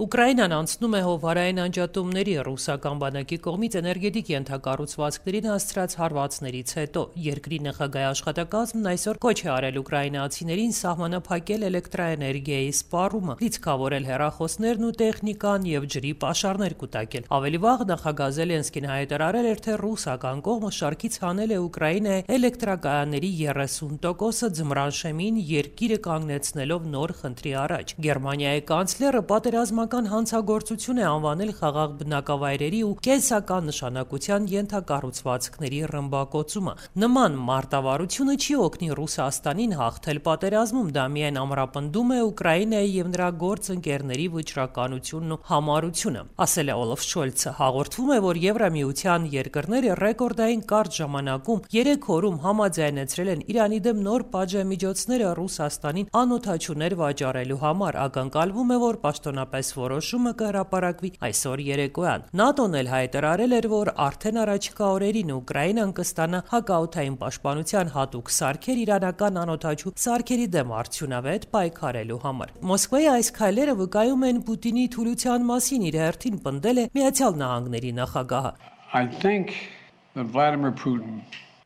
Ուկրաինան անցնում է հովհարային անջատումների ռուսական բանակի կողմից էներգետիկ ենթակառուցվածքներին հասցրած հարվածներից հետո երկրի նախագահի աշխատակազմն այսօր կոչ է արել ուկրաինացիներին սահմանափակել էլեկտրաէներգիայի սպառումը, լիցքավորել հեռախոսներն ու տեխնիկան եւ ջրի պաշարներ կուտակել։ Ավելի վաղ նախագահ Զելենսկին հայտարարել էր, թե ռուսական կողմը շարքից հանել է Ուկրաինայի էլեկտրակայանների 30%-ը ձմռանշեմին երկիրը կանգնեցնելով նոր խնդրի առաջ։ Գերմանիայի կանցլերը պատերազմական հանցագործություն է անվանել խաղաղ բնակավայրերի ու կենսական նշանակության ենթակառուցվածքների ռմբակոծումը։ Նման մարտավարությունը չի օգնի Ռուսաստանին հաղթել պատերազմում, դա միայն ամրապնդում է Ուկրաինայի եւ նրա գործընկերների վճռականությունն ու համառությունը, ասել է Օլաֆ Շոլցը։ Հաղորդվում է, որ Եվրամիության երկրները ռեկորդային կարճ ժամանակում 3 օրում համաձայնեցրել են Իրանի դեմ նոր պատժամիջոցները Ռուսաստանին անօդաչուներ վաճառելու համար։ Ակնկալվում է, որ պաշտոնապես որոշումը կհրապարակվի այսօր երեկոյան։ ՆԱՏՕ-ն էլ հայտարարել էր, որ արդեն առաջիկա օրերին Ուկրաինան կստանա հակաօդային պաշտպանության հատուկ սարքեր իրանական անօդաչու սարքերի դեմ արդյունավետ պայքարելու համար։ Մոսկվայի այս քայլերը վկայում են Պուտինի թուլության մասին, իր հերթին պնդել է Միացյալ Նահանգների նախագահը։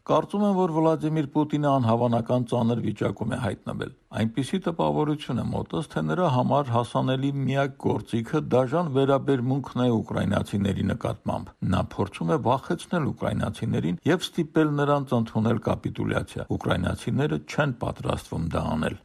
Կարծում եմ, որ Վլադիմիր Պուտինը անհավանական ծանր վիճակում է հայտնվել։ Այնպիսի տպավորություն է մոտս, թե նրա համար հասանելի միակ գործիքը դաժան վերաբերմունքն է ուկրաինացիների նկատմամբ։ Նա փորձում է վախեցնել ուկրաինացիներին եւ ստիպել նրանց ընդունել կապիտուլյացիա։ Ուկրաինացիները չեն պատրաստվում դա անել։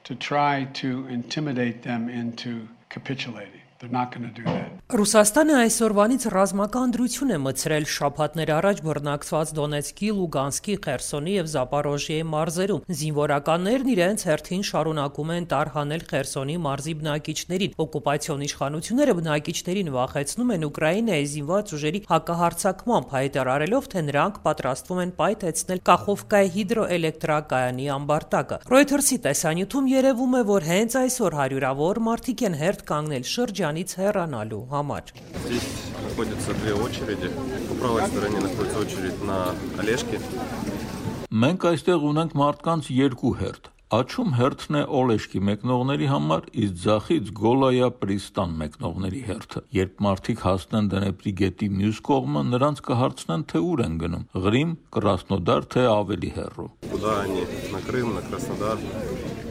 Ռուսաստանը այսօրվանից ռազմական դրություն է մտցրել շաբաթներ առաջ բռնակցված Դոնեցկի, Լուգանսկի, Խերսոնի եւ Զապորոժիեի մարզերում։ Զինվորականներն իրենց հերթին շարունակում են տարհանել Խերսոնի մարզի բնակիչներին։ Օկուպացիոն իշխանությունները բնակիչներին վախեցնում են Ուկրաինայի զինված ուժերի հակահարձակմամբ, հայտարարելով, թե նրանք պատրաստվում են պայթեցնել Կախովկայի հիդրոէլեկտրակայանի ամբարտակը։ Reuters-ի տեսանյութում երևում է, որ հենց այսօր հարյուրավոր մարդիկ են հերթ կանգնել շրջանից հեռանալու համար։ Здесь находятся две очереди. По правой стороне находится очередь на Олешки. Մենք այստեղ ունենք մարդկանց երկու հերթ։ Աչում հերթն է Օլեշկի մեկնողների համար, իսկ ձախից Գոլայա Պրիստան մեկնողների հերթը։ Երբ մարդիկ հասնեն Դնեպրի գետի մյուս կողմը, նրանց կհարցնեն, թե ուր են գնում՝ Ղրիմ, Կրասնոդար, թե ավելի հեռու։ Куда они? На Крым, на Краснодар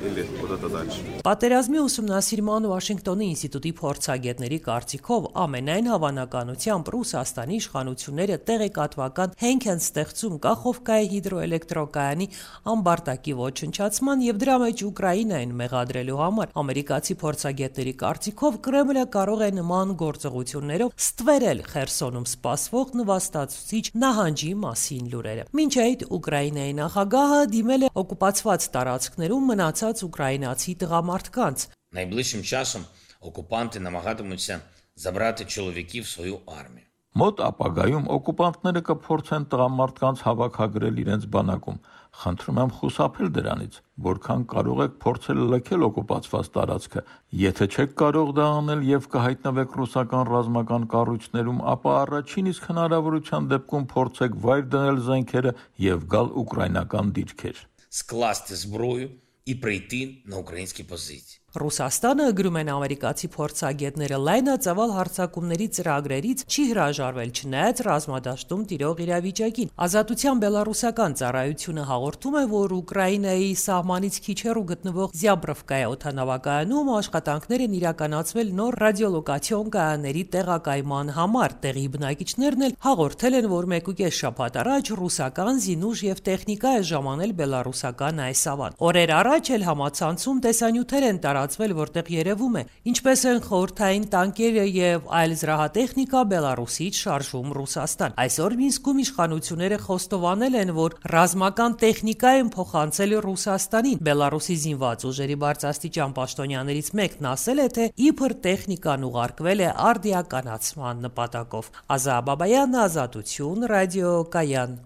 или куда-то дальше. Պատերազմի ուսումնասիրման Վաշինգտոնի ինստիտուտի փորձագետների կարծիքով ամենայն հավանականությամբ Ռուսաստանի իշխանությունները տեղեկատվական հենք են ստեղծում Կախովկայի հիդրոէլեկտրակայանի ամբարտակի ոչնչացման եւ դրա մեջ Ուկրաինային մեղադրելու համար։ Ամերիկացի փորձագետների կարծիքով Կրեմլը կարող է նման գործողություններով ստվերել Խերսոնում սպասվող նվաստացուցիչ նահանջի մասին լուրերը։ Մինչ այդ Ուկրաինայի նախագահը դիմել է օկուպացված տարածքներում մնացած ուկրաինացի տղամարդկանց։ Найближчим часом окупанти намагатимуться забрати чоловіків в свою армію. Մոտ ապագայում օկուպանտները կփորձեն տղամարդկանց հավաքագրել իրենց բանակում։ Խնդրում եմ խուսափել դրանից, որքան կարող եք փորձել լքել օկուպացված տարածքը։ Եթե չեք կարող դա անել եւ կհայտնվեք ռուսական ռազմական կառույցներում, ապա առաջին իսկ հնարավորության դեպքում փորձեք վայր դնել զենքերը եւ գալ ուկրաինական դիրքեր։ Скласти зброю і прийти на українські позиції. Ռուսաստանը, գրում են ամերիկացի փորձագետները, լայնածավալ հարձակումների ծրագրերից չի հրաժարվել, չնայած ռազմադաշտում տիրող իրավիճակին։ Ազատության բելառուսական ծառայությունը հաղորդում է, որ Ուկրաինայի սահմանից քիչ հեռու գտնվող Զյաբրովկայի օդանավակայանում աշխատանքներ են իրականացվել նոր ռադիոլոկացիոն կայանների տեղակայման համար։ Տեղի բնակիչներն էլ հաղորդել են, որ 1.5 շաբաթ առաջ ռուսական զինուժ եւ տեխնիկա է ժամանել բելառուսական այս ավան։ Օրեր առաջ էլ համացանցում տեսանյութեր են տարածվել, որտեղ երևում է, ինչպես են խորհրդային տանկերը եւ այլ զրահատեխնիկա Բելարուսից շարժվում Ռուսաստան։ Այսօր Մինսկում իշխանությունները խոստովանել են, որ ռազմական տեխնիկա են փոխանցել Ռուսաստանին։ Բելարուսի զինված ուժերի բարձրաստիճան պաշտոնյաներից մեկն ասել է, թե իբր տեխնիկան ուղարկվել է արդիականացման նպատակով։ Ազա Բաբայան, Ազատություն, ռադիոկայան։